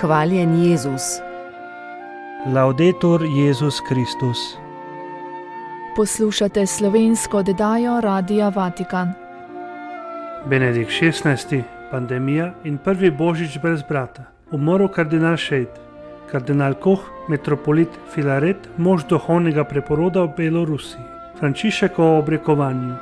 Hvaljen Jezus. Laudetur Jezus Kristus. Poslušate slovensko oddajo Radia Vatikan. Benedikt XVI. Pandemija in prvi božič brez brata. Umrl kardinal Šejt. Kardinal Koh, metropolit Filaret, mož duhovnega preporoda v Belorusiji. Frančišek o obrekovanju.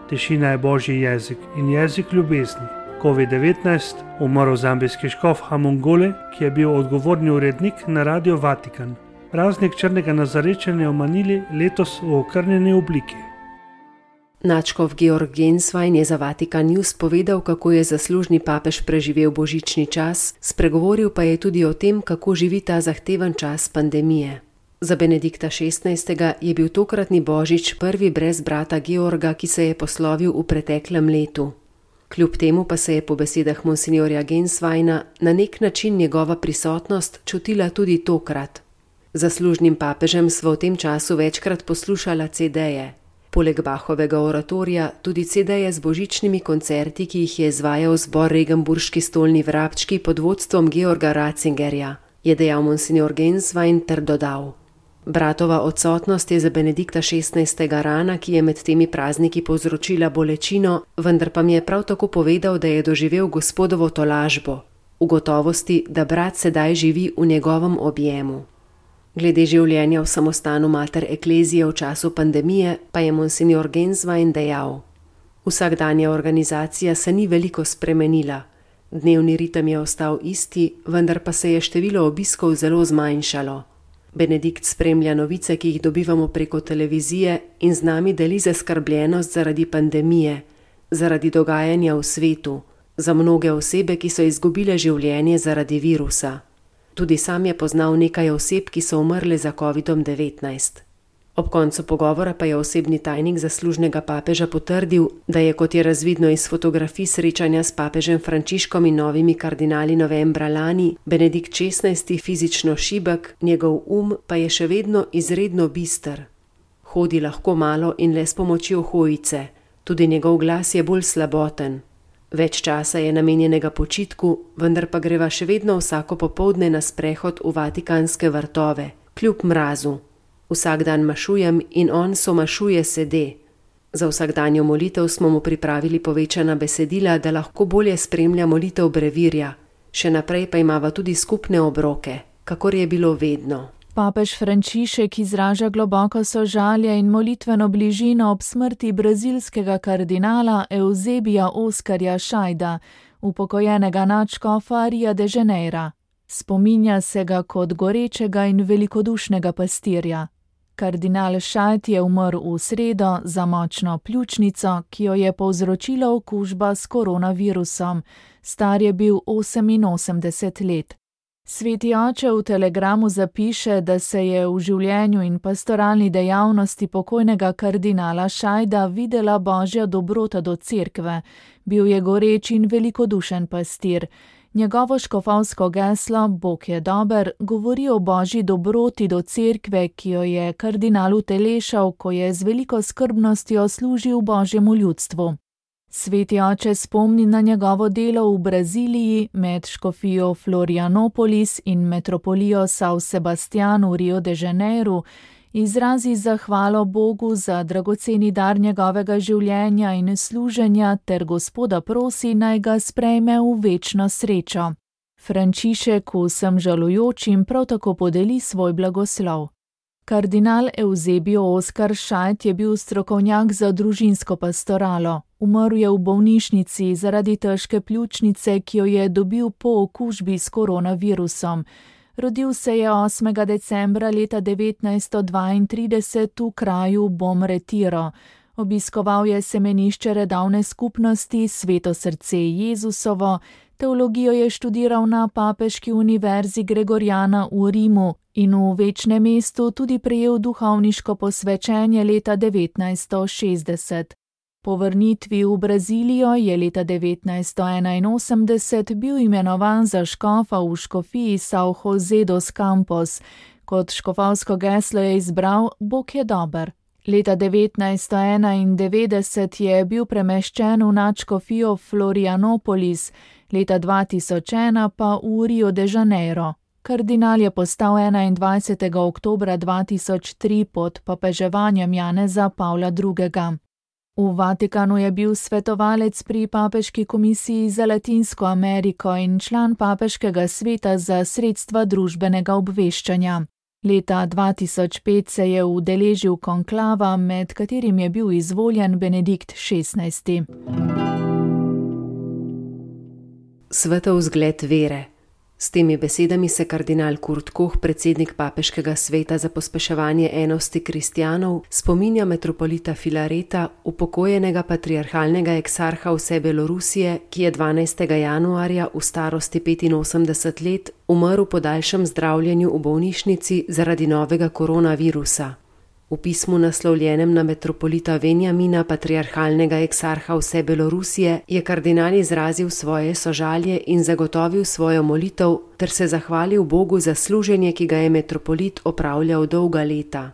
Tišina je božji jezik in jezik ljubezni. COVID-19, umrl zambijski škof Hamongole, ki je bil odgovorni urednik na Radio Vatikan. Praznik črnega nazarečenja v Manili letos v okrnjeni obliki. Nadškof Georg Genswein je za Vatikan News povedal, kako je zaslužni papež preživel božični čas, spregovoril pa je tudi o tem, kako živi ta zahteven čas pandemije. Za Benedikta XVI. Je bil tokratni božič prvi brez brata Georga, ki se je poslovil v preteklem letu. Kljub temu pa se je po besedah monsinjorja Gensweina na nek način njegova prisotnost čutila tudi tokrat. Zaslužnim papežem smo v tem času večkrat poslušala CD-je. Poleg Bachovega oratorija tudi CD-je z božičnimi koncerti, ki jih je izvajal zbor Regenburški stolni vrabčki pod vodstvom Georga Ratzingerja, je dejal monsinjor Genswein ter dodal. Bratova odsotnost je za Benedikta XVI. Rana, ki je med temi prazniki povzročila bolečino, vendar pa mi je prav tako povedal, da je doživel Gospodovo tolažbo, v gotovosti, da brat sedaj živi v njegovem objemu. Glede življenja v samostanu Mater Ecclesiae v času pandemije pa je monsinjor Genswein dejal: Vsakdanja organizacija se ni veliko spremenila. Dnevni ritem je ostal isti, vendar pa se je število obiskov zelo zmanjšalo. Benedikt spremlja novice, ki jih dobivamo preko televizije in z nami deli zaskrbljenost zaradi pandemije, zaradi dogajanja v svetu, za mnoge osebe, ki so izgubile življenje zaradi virusa. Tudi sam je poznal nekaj oseb, ki so umrle za COVID-19. Ob koncu pogovora pa je osebni tajnik zaslužnega papeža potrdil, da je, kot je razvidno iz fotografij srečanja s papežem Frančiškom in novimi kardinali novembra lani, Benedikt XVI. Fizično šibek, njegov pa je še vedno izredno bister. Hodi lahko malo in le s pomočjo hojice, tudi njegov glas je bolj slaboten. Več časa je namenjenega počitku, vendar pa greva še vedno vsako popoldne na sprehod v vatikanske vrtove, kljub mrazu. Vsak dan mašujem in on somašuje sede. Za vsakdanjo molitev smo mu pripravili povečana besedila, da lahko bolje spremlja molitev brevirja. Še naprej pa imava tudi skupne obroke, kakor je bilo vedno. Papež Frančišek izraža globoko sožalje in molitveno bližino ob smrti brazilskega kardinala Eusebija Oskarja Šajda, upokojenega nadškofa Rio de Janeira. Spominja se ga kot gorečega in velikodušnega pastirja. Kardinal Šajd je umrl v sredo za močno pljučnico, ki jo je povzročila okužba s koronavirusom. Star je bil 88 let. Sveti oče v telegramu zapiše, da se je v življenju in pastoralni dejavnosti pokojnega kardinala Šajda videla božja dobrota do cerkve. Bil je goreč in velikodušen pastir. Njegovo škofovsko geslo Bog je dober govori o božji dobroti do cerkve, ki jo je kardinal utelešal, ko je z veliko skrbnostjo služil božjemu ljudstvu. Sveti oče spomni na njegovo delo v Braziliji med škofijo Florianopolis in metropolijo São Sebastián v Rio de Janeiru, izrazi zahvalo Bogu za dragoceni dar njegovega življenja in služenja ter Gospoda prosi, naj ga sprejme v večno srečo. Frančišek vsem žalujočim prav tako podeli svoj blagoslov. Kardinal Eusebio Oskar Šajd je bil strokovnjak za družinsko pastoralo. Umrl je v bolnišnici zaradi težke pljučnice, ki jo je dobil po okužbi s koronavirusom. Rodil se je 8. decembra leta 1932 v kraju Bom Retiro. Obiskoval je semenišče redovne skupnosti Sveto srce Jezusovo, teologijo je študiral na Papeški univerzi Gregoriana v Rimu in v večnem mestu tudi prejel duhovniško posvečenje leta 1960. Po vrnitvi v Brazilijo je leta 1981 bil imenovan za škofa v škofiji São José dos Campos. Kot škofovsko geslo je izbral Bog je dober. Leta 1991 je bil premeščen v nadškofijo Florianopolis, leta 2001 pa v Rio de Janeiro. Kardinal je postal 21. oktobra 2003 pod papeževanjem Janeza Pavla II. V Vatikanu je bil svetovalec pri Papeški komisiji za Latinsko Ameriko in član Papeškega sveta za sredstva družbenega obveščanja. Leta 2005 se je udeležil konklava, med katerim je bil izvoljen Benedikt XVI. Svetov zgled vere. S temi besedami se kardinal Kurt Koch, predsednik Papeškega sveta za pospeševanje enosti kristjanov, spominja metropolita Filareta, upokojenega patriarhalnega eksarha vse Belorusije, ki je 12. januarja v starosti 85 let umrl po daljšem zdravljenju v bolnišnici zaradi novega koronavirusa. V pismu naslovljenem na metropolita Venjamina, patriarhalnega eksarha vse Belorusije, je kardinal izrazil svoje sožalje in zagotovil svojo molitev ter se zahvalil Bogu za služenje, ki ga je metropolit opravljal dolga leta.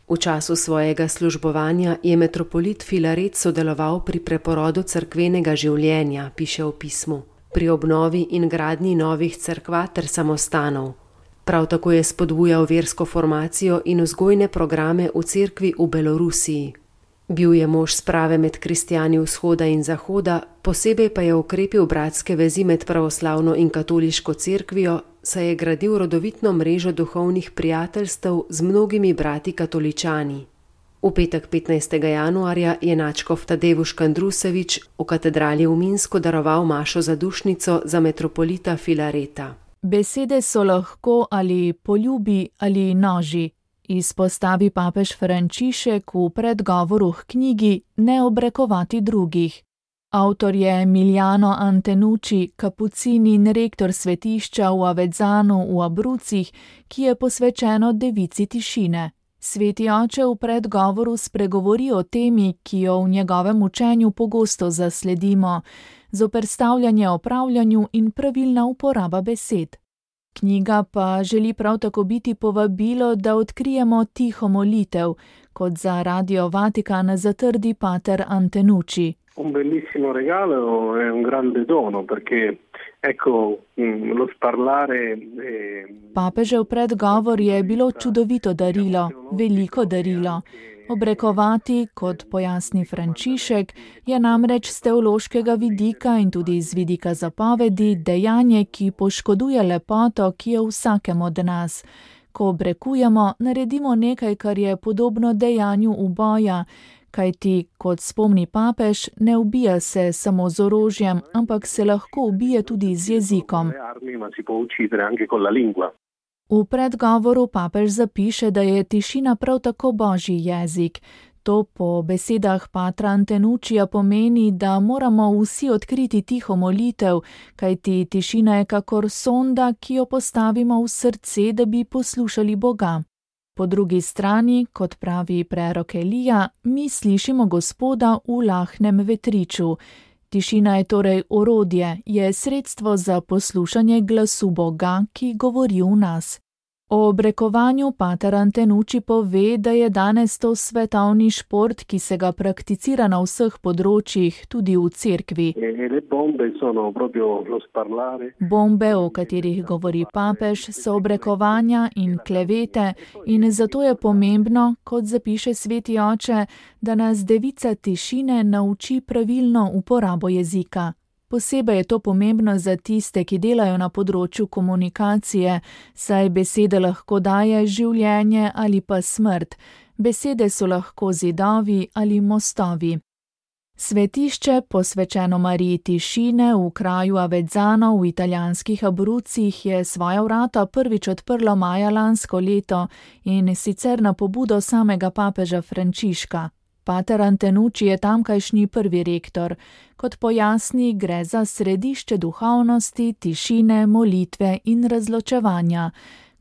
V času svojega službovanja je metropolit Filaret sodeloval pri preporodu cerkvenega življenja, piše v pismu, pri obnovi in gradnji novih cerkva ter samostanov. Prav tako je spodbujal versko formacijo in vzgojne programe v cerkvi v Belorusiji. Bil je mož sprave med kristjani vzhoda in zahoda, posebej pa je okrepil bratske vezi med pravoslavno in katoliško cerkvijo, saj je gradil rodovitno mrežo duhovnih prijateljstev z mnogimi brati katoličani. V petek 15. januarja je nadškof Tadeusz Kandrusevič v katedrali v Minsku daroval mašo zadušnico za metropolita Filareta. Besede so lahko ali poljubi ali noži, izpostavi papež Frančišek v predgovoru k knjigi Ne obrekovati drugih. Avtor je Emiliano Antenucci, kapucin in rektor svetišča v Avezzanu v Abruzzih, ki je posvečeno devici tišine. Sveti oče v predgovoru spregovori o temi, ki jo v njegovem učenju pogosto zasledimo, zoperstavljanje opravljanju in pravilna uporaba besed. Knjiga pa želi prav tako biti povabilo, da odkrijemo tiho molitev, kot za Radio Vatikan zatrdi pater Antenucci. Un bellissimo regalo e un grande dono, perché ecco lo sparlare. Papežev predgovor je bilo čudovito darilo, veliko darilo. Obrekovati, kot pojasni Frančišek, je namreč z teološkega vidika in tudi z vidika zapovedi dejanje, ki poškoduje lepoto, ki je v vsakem od nas. Ko obrekujemo, naredimo nekaj, kar je podobno dejanju uboja, kajti, kot spomni papež, ne ubija se samo z orožjem, ampak se lahko ubije tudi z jezikom. V predgovoru papež zapiše, da je tišina prav tako božji jezik. To po besedah patra Antenuccija pomeni, da moramo vsi odkriti tiho molitev, kajti tišina je kakor sonda, ki jo postavimo v srce, da bi poslušali Boga. Po drugi strani, kot pravi prerok Elija, mi slišimo Gospoda v lahnem vetriču. Tišina je torej orodje, je sredstvo za poslušanje glasu Boga, ki govori v nas. O obrekovanju pater Antenucci pove, da je danes to svetovni šport, ki se ga prakticira na vseh področjih, tudi v cerkvi. Bombe, o katerih govori papež, so obrekovanja in klevete in zato je pomembno, kot zapiše sveti oče, da nas devica tišine nauči pravilno uporabo jezika. Posebej je to pomembno za tiste, ki delajo na področju komunikacije, saj besede lahko daje življenje ali pa smrt. Besede so lahko zidovi ali mostovi. Svetišče, posvečeno Mariji tišine v kraju Avezzano v italijanskih Abruzzih, je svoja vrata prvič odprlo maja lansko leto in sicer na pobudo samega papeža Frančiška. Pater Antenucci je tamkajšnji prvi rektor. Kot pojasni, gre za središče duhovnosti, tišine, molitve in razločevanja.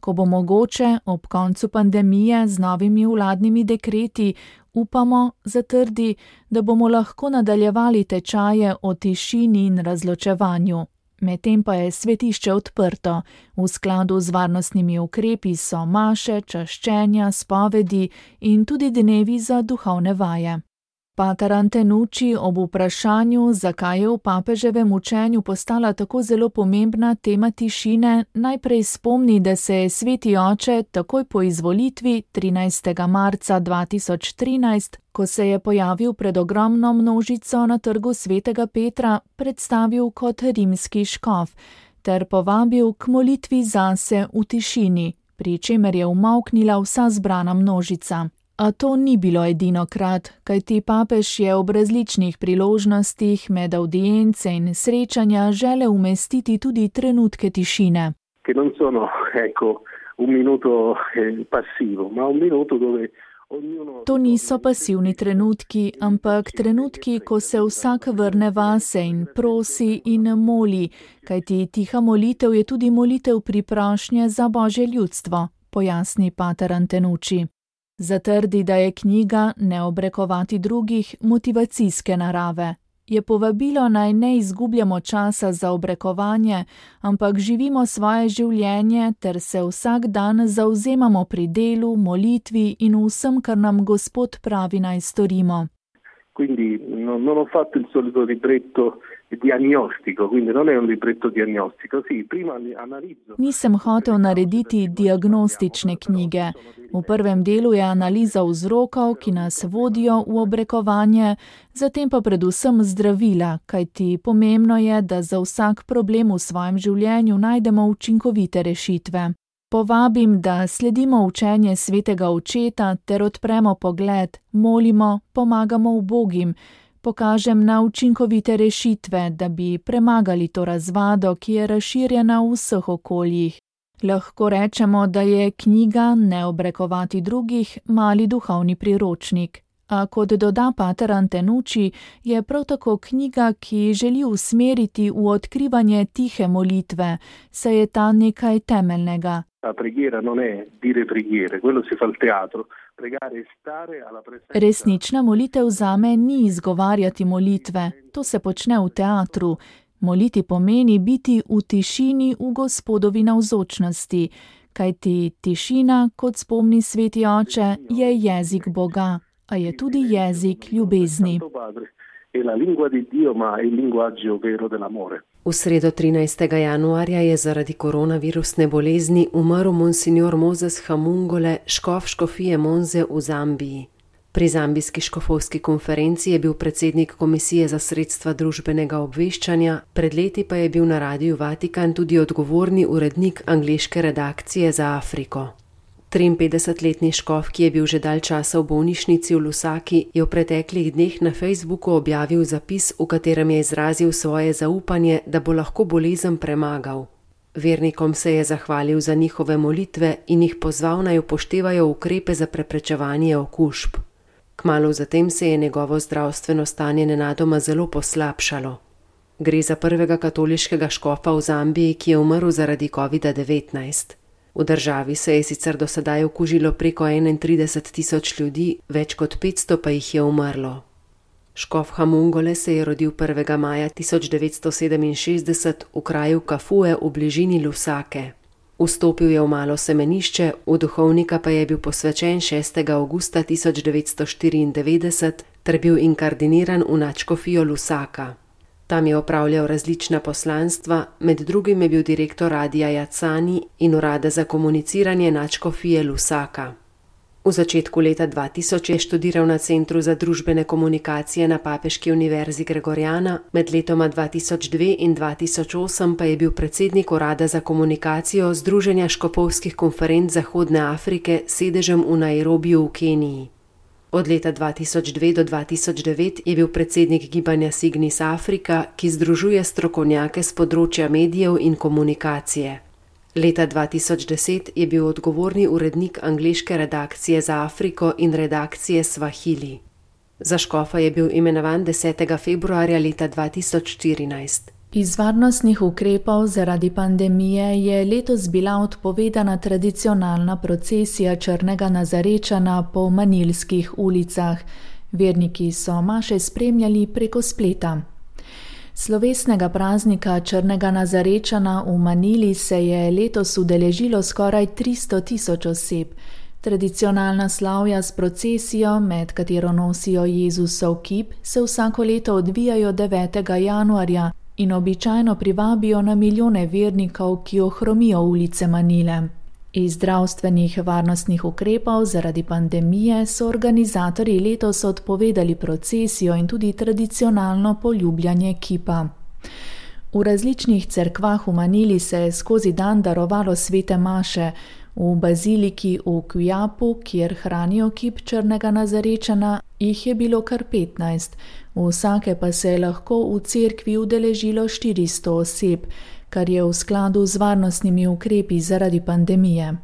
Ko bo mogoče, ob koncu pandemije z novimi vladnimi dekreti, upamo, zatrdi, da bomo lahko nadaljevali tečaje o tišini in razločevanju. Medtem pa je svetišče odprto. V skladu z varnostnimi ukrepi so maše, čaščenja, spovedi in tudi dnevi za duhovne vaje. Pater Antenucci ob vprašanju, zakaj je v papeževem učenju postala tako zelo pomembna tema tišine, najprej spomni, da se je sveti oče takoj po izvolitvi 13. marca 2013, ko se je pojavil pred ogromno množico na trgu svetega Petra, predstavil kot rimski škof ter povabil k molitvi zase v tišini, pri čemer je umolknila vsa zbrana množica. A to ni bilo edinokrat, kajti papež je ob različnih priložnostih med audience in srečanja želel umestiti tudi trenutke tišine. Che non sono, un minuto passivo, ma un minuto dove ognuno... To niso pasivni trenutki, ampak trenutki, ko se vsak vrne vase in prosi in moli, kajti tiha molitev je tudi molitev priprošnje za Božje ljudstvo, pojasni pater Antenucci. Zatrdi, da je knjiga Ne obrekovati drugih motivacijske narave. Je povabilo naj ne izgubljamo časa za obrekovanje, ampak živimo svoje življenje ter se vsak dan zavzemamo pri delu, molitvi in vsem, kar nam Gospod pravi naj storimo. Quindi non ho fatto il solito libretto diagnostico, quindi non è un libretto diagnostico. Sì, prima analizzo. Nisem hotel narediti diagnostične knjige. V prvem delu je analiza vzrokov, ki nas vodijo v obrekovanje, zatem pa predvsem zdravila, kajti pomembno je, da za vsak problem v svojem življenju najdemo učinkovite rešitve. Povabim, da sledimo učenje svetega očeta ter odpremo pogled, molimo, pomagamo ubogim, pokažem na učinkovite rešitve, da bi premagali to razvado, ki je razširjena v vseh okoljih. Lahko rečemo, da je knjiga Ne obrekovati drugih mali duhovni priročnik. A kot doda pater Antenucci, je prav tako knjiga, ki želi usmeriti v odkrivanje tihe molitve, saj je ta nekaj temeljnega. La preghiera non è dire preghiere, quello si fa al teatro. Pregare è stare alla presenza. Resnična molitev zame ni izgovarjati molitve, to se počne v teatru. Moliti pomeni biti v tišini v Gospodovi navzočnosti, kajti tišina, kot spomni sveti oče, je jezik Boga, a je tudi jezik ljubezni. V sredo 13. januarja je zaradi koronavirusne bolezni umrl monsignor Moses Hamungole, škof škofije Monze v Zambiji. Pri zambijski škofovski konferenci je bil predsednik Komisije za sredstva družbenega obveščanja, pred leti pa je bil na Radiu Vatikan tudi odgovorni urednik angleške redakcije za Afriko. 53-letni škof, ki je bil že dalj časa v bolnišnici v Lusaki, je v preteklih dneh na Facebooku objavil zapis, v katerem je izrazil svoje zaupanje, da bo lahko bolezen premagal. Vernikom se je zahvalil za njihove molitve in jih pozval naj upoštevajo ukrepe za preprečevanje okužb. Kmalu zatem se je njegovo zdravstveno stanje nenadoma zelo poslabšalo. Gre za prvega katoliškega škofa v Zambiji, ki je umrl zaradi COVID-19. V državi se je sicer do sedaj okužilo preko 31.000 ljudi, več kot 500 pa jih je umrlo. Škof Hamungole se je rodil 1. maja 1967 v kraju Kafue v bližini Lusake. Vstopil je v malo semenišče, v duhovnika pa je bil posvečen 6. avgusta 1994 ter bil inkardiniran v nadškofijo Lusaka. Tam je opravljal različna poslanstva, med drugim je bil direktor Radia Jacani in urada za komuniciranje nadškofije Lusaka. V začetku leta 2000 je študiral na Centru za družbene komunikacije na Papeški univerzi Gregoriana, med letoma 2002 in 2008 pa je bil predsednik urada za komunikacijo Združenja škofovskih konferenc Zahodne Afrike s sedežem v Nairobiju v Keniji. Od leta 2002 do 2009 je bil predsednik gibanja Signis Afrika, ki združuje strokovnjake z področja medijev in komunikacije. Leta 2010 je bil odgovorni urednik angleške redakcije za Afriko in redakcije Swahili. Za škofa je bil imenovan 10. februarja leta 2014. Iz varnostnih ukrepov zaradi pandemije je letos bila odpovedana tradicionalna procesija Črnega Nazarečana po manilskih ulicah. Verniki so maše spremljali preko spleta. Slovesnega praznika Črnega Nazarečana v Manili se je letos udeležilo skoraj 300.000 oseb. Tradicionalna slavja s procesijo, med katero nosijo Jezusov kip, se vsako leto odvijajo 9. januarja in običajno privabijo na milijone vernikov, ki ohromijo ulice Manile. Iz zdravstvenih varnostnih ukrepov zaradi pandemije so organizatorji letos odpovedali procesijo in tudi tradicionalno poljubljanje kipa. V različnih cerkvah v Manili se je skozi dan darovalo svete maše. V baziliki v Quiapu, kjer hranijo kip črnega Nazarečana, jih je bilo kar 15. Vsake pa se je lahko v cerkvi udeležilo 400 oseb, kar je v skladu z varnostnimi ukrepi zaradi pandemije.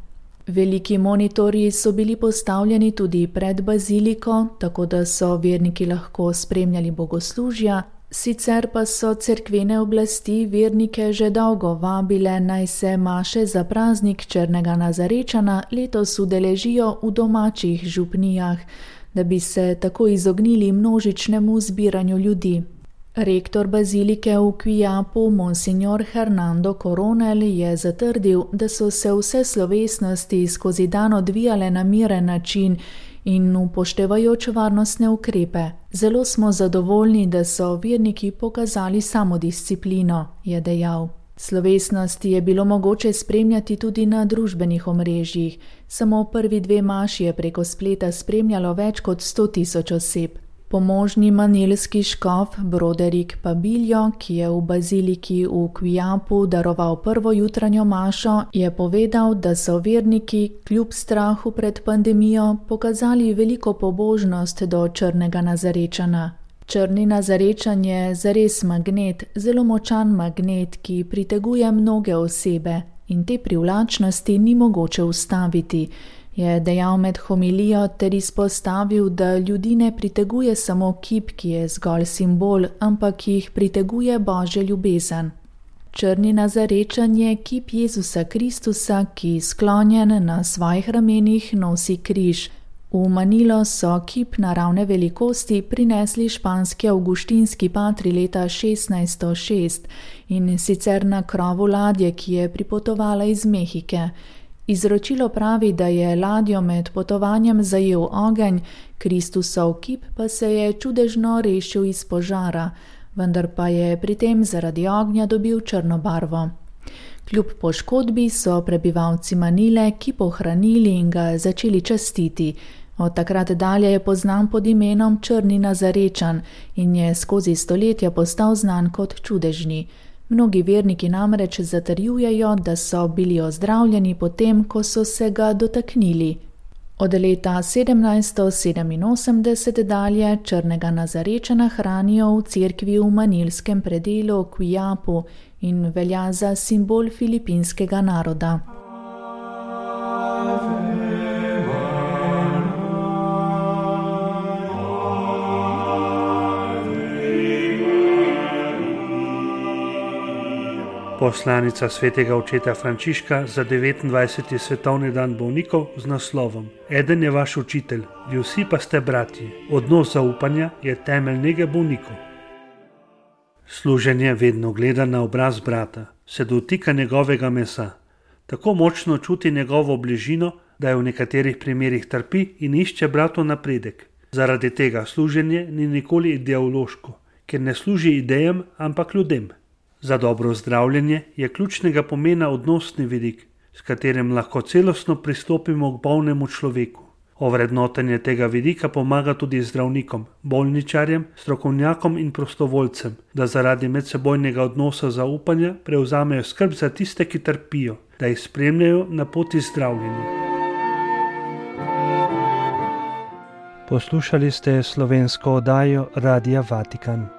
Veliki monitorji so bili postavljeni tudi pred baziliko, tako da so verniki lahko spremljali bogoslužja, sicer pa so cerkvene oblasti vernike že dolgo vabile, naj se maše za praznik črnega Nazarečana letos udeležijo v domačih župnijah, da bi se tako izognili množičnemu zbiranju ljudi. Rektor bazilike v Quiapu, monsignor Hernando Coronel, je zatrdil, da so se vse slovesnosti skozi dan odvijale na miren način in upoštevajoč varnostne ukrepe. Zelo smo zadovoljni, da so verniki pokazali samodisciplino, je dejal. Slovesnosti je bilo mogoče spremljati tudi na družbenih omrežjih. Samo prvi 2 maši je preko spleta spremljalo več kot 100.000 oseb. Pomožni manilski škof Broderick Pabiljo, ki je v baziliki v Quiapu daroval prvo jutranjo mašo, je povedal, da so verniki kljub strahu pred pandemijo pokazali veliko pobožnost do črnega Nazarečana. Črni Nazarečan je zares magnet, zelo močan magnet, ki priteguje mnoge osebe in te privlačnosti ni mogoče ustaviti, je dejal med homilijo ter izpostavil, da ljudi ne priteguje samo kip, ki je zgolj simbol, ampak jih priteguje Božja ljubezen. Črni Nazarečan je kip Jezusa Kristusa, ki sklonjen na svojih ramenih nosi križ. V Manilo so kip naravne velikosti prinesli španski avguštinski patri leta 1606 in sicer na krovu ladje, ki je pripotovala iz Mehike. Izročilo pravi, da je ladjo med potovanjem zajel ogenj, Kristusov kip pa se je čudežno rešil iz požara, vendar pa je pri tem zaradi ognja dobil črno barvo. Kljub poškodbi so prebivalci Manile kip ohranili in ga začeli častiti. Od takrat dalje je poznan pod imenom Črni Nazarečan in je skozi stoletja postal znan kot čudežni. Mnogi verniki namreč zatrjujejo, da so bili ozdravljeni potem, ko so se ga dotaknili. Od leta 1787 dalje črnega Nazarečana hranijo v cerkvi v manilskem predelu Quiapu in velja za simbol filipinskega naroda. Poslanica svetega očeta Frančiška za 29. svetovni dan bolnikov z naslovom Eden je vaš učitelj, vi vsi pa ste bratji. Odnos zaupanja je temelj nege bolnikov. Služenje vedno gleda na obraz brata, se dotika njegovega mesa. Tako močno čuti njegovo bližino, da je v nekaterih primerih trpi in išče bratov napredek. Zaradi tega služenje ni nikoli ideološko, ker ne služi idejam, ampak ljudem. Za dobro zdravljenje je ključnega pomena odnosni vidik, s katerim lahko celostno pristopimo k bolnemu človeku. Ovrednotenje tega vidika pomaga tudi zdravnikom, bolničarjem, strokovnjakom in prostovoljcem, da zaradi medsebojnega odnosa zaupanja prevzamejo skrb za tiste, ki trpijo, da jih spremljajo na poti zdravljenja. Poslušali ste slovensko oddajo Radia Vatikan.